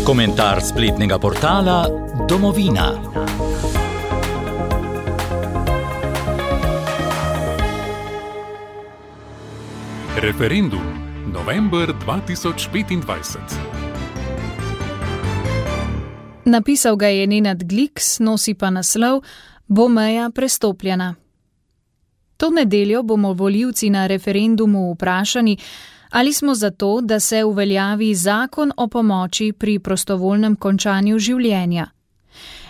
Komentar spletnega portala Domovina. Referendum. November 2025. Napisal ga je Nenad Gliks, nosi pa naslov Bo meja prestopljena. To nedeljo bomo volivci na referendumu vprašani, ali smo za to, da se uveljavi zakon o pomoči pri prostovoljnem končanju življenja.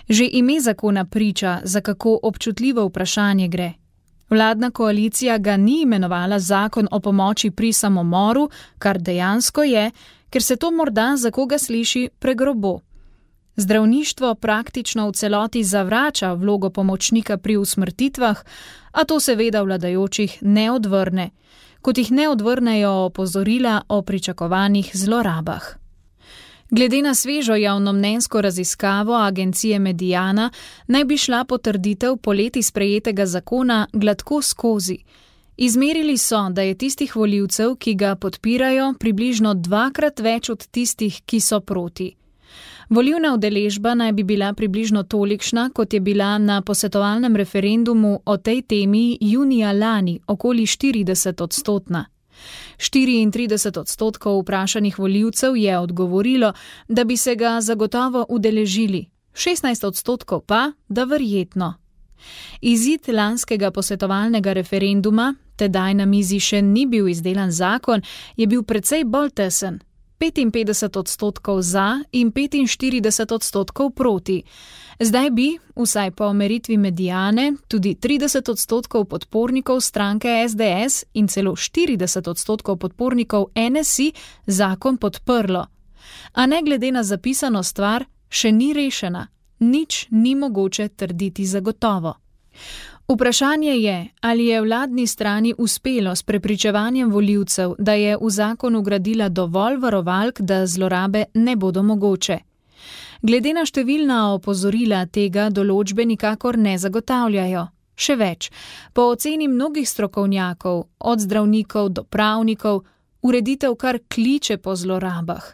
Že ime zakona priča, za kako občutljivo vprašanje gre. Vladna koalicija ga ni imenovala zakon o pomoči pri samomoru, kar dejansko je, ker se to morda za koga sliši pregrobo. Zdravništvo praktično v celoti zavrača vlogo pomočnika pri usmrtitvah, a to seveda vladajočih ne odvrne, kot jih ne odvrnejo opozorila o pričakovanih zlorabah. Glede na svežo javnomnenjsko raziskavo agencije Mediana naj bi šla potrditev poleti sprejetega zakona gladko skozi. Izmerili so, da je tistih volivcev, ki ga podpirajo, približno 2-krat več od tistih, ki so proti. Volilna udeležba naj bi bila približno tolikšna, kot je bila na posvetovalnem referendumu o tej temi junija lani, okoli 40%. 34% vprašanih volivcev je odgovorilo, da bi se ga zagotovo udeležili, 16% pa, da verjetno. Izid lanskega posvetovalnega referenduma, tedaj na mizi še ni bil izdelan zakon, je bil precej bolj tesen. 55% za in 45% proti. Zdaj bi, vsaj po meritvi Mediane, tudi 30% podpornikov stranke SDS in celo 40% podpornikov NSI zakon podprlo. A ne glede na zapisano stvar, še ni rešena. Nič ni mogoče trditi zagotovo. Vprašanje je, ali je vladni strani uspelo s prepričevanjem volivcev, da je v zakon ugradila dovolj varovalk, da zlorabe ne bodo mogoče. Glede na številna opozorila tega določbe nikakor ne zagotavljajo. Še več, po oceni mnogih strokovnjakov, od zdravnikov do pravnikov, ureditev kar kliče po zlorabah.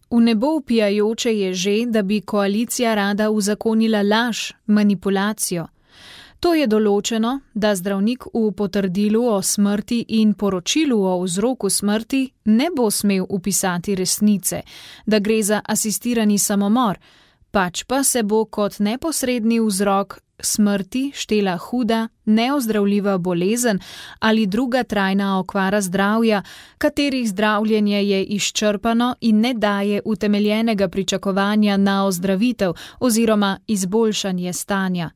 V nebo vpijajoče je že, da bi koalicija rada uzakonila laž, manipulacijo. To je določeno, da zdravnik v potrdilu o smrti in poročilu o vzroku smrti ne bo smel vpisati resnice, da gre za asistirani samomor, pač pa se bo kot neposredni vzrok smrti štela huda, neozdravljiva bolezen ali druga trajna okvara zdravja, katerih zdravljenje je izčrpano in ne daje utemeljenega pričakovanja na ozdravitev oziroma izboljšanje stanja.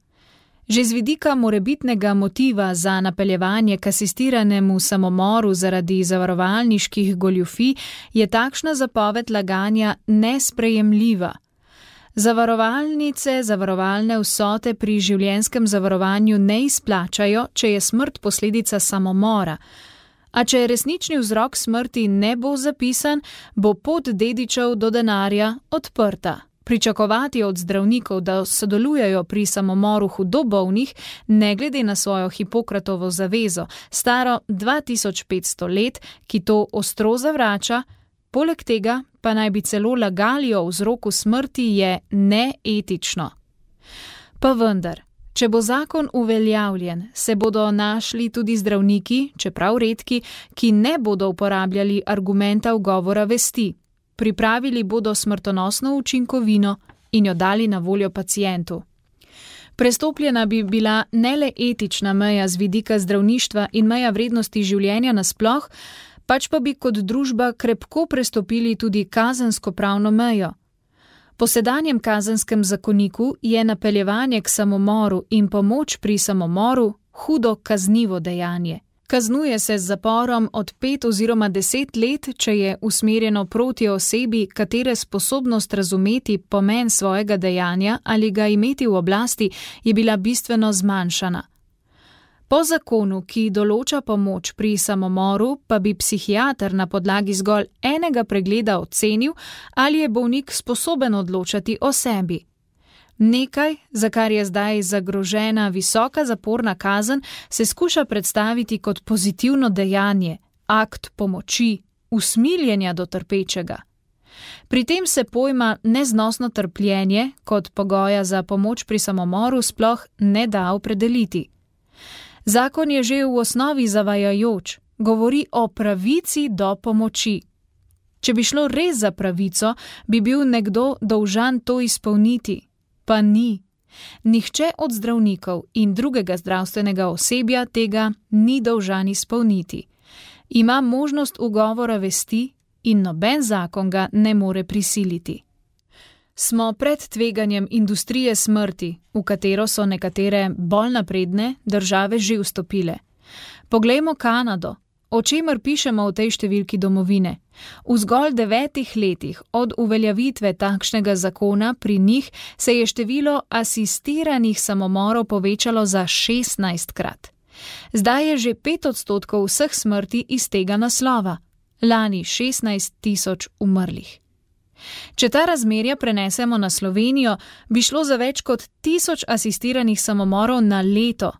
Že z vidika morebitnega motiva za napeljevanje k asistiranemu samomoru zaradi zavarovalniških goljufij je takšna zapoved laganja nesprejemljiva. Zavarovalnice zavarovalne vsote pri življenjskem zavarovanju ne izplačajo, če je smrt posledica samomora. A če resnični vzrok smrti ne bo zapisan, bo pot dedičev do denarja odprta. Pričakovati od zdravnikov, da sodelujejo pri samomoru hudo bolnih, ne glede na svojo Hipokratovo zavezo, staro 2500 let, ki to ostro zavrača, poleg tega pa naj bi celo lagali o vzroku smrti, je neetično. Pa vendar, če bo zakon uveljavljen, se bodo našli tudi zdravniki, čeprav redki, ki ne bodo uporabljali argumenta ugovora vesti. Pripravili bodo smrtonosno učinkovino in jo dali na voljo pacientu. Prestopljena bi bila ne le etična meja z vidika zdravništva in meja vrednosti življenja nasploh, pač pa bi kot družba krepko prestopili tudi kazensko-pravno mejo. Po sedanjem kazenskem zakoniku je napeljevanje k samomoru in pomoč pri samomoru hudo kaznivo dejanje. Kaznuje se z zaporom od 5 oziroma 10 let, če je usmerjeno proti osebi, katere sposobnost razumeti pomen svojega dejanja ali ga imeti v oblasti je bila bistveno zmanjšana. Po zakonu, ki določa pomoč pri samomoru, pa bi psihiater na podlagi zgolj enega pregleda ocenil, ali je bolnik sposoben odločati o sebi. Nekaj, za kar je zdaj zagrožena visoka zaporna kazen, se skuša predstaviti kot pozitivno dejanje, akt pomoči, usmiljenja do trpečega. Pri tem se pojma neznosno trpljenje kot pogoja za pomoč pri samomoru sploh ne da opredeliti. Zakon je že v osnovi zavajajoč, govori o pravici do pomoči. Če bi šlo res za pravico, bi bil nekdo dolžan to izpolniti, pa ni. Nihče od zdravnikov in drugega zdravstvenega osebja tega ni dolžan izpolniti. Ima možnost ugovora vesti in noben zakon ga ne more prisiliti. Smo pred tveganjem industrije smrti, v katero so nekatere bolj napredne države že vstopile. Poglejmo Kanado, o čemer pišemo v tej številki Domovine. V zgolj 9 letih od uveljavitve takšnega zakona pri njih se je število asistiranih samomorov povečalo za 16-krat. Zdaj je že 5% vseh smrti iz tega naslova, lani 16 000 umrlih. Če ta razmerja prenesemo na Slovenijo, bi šlo za več kot 1000 asistiranih samomorov na leto.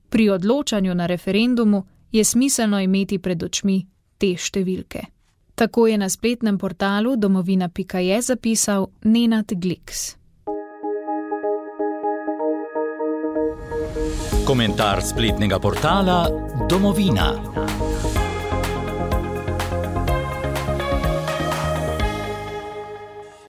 Pri odločanju na referendumu je smiselno imeti pred očmi te številke. Tako je na spletnem portalu domovina.je zapisal Nenad Gliks. Komentar spletnega portala Domovina.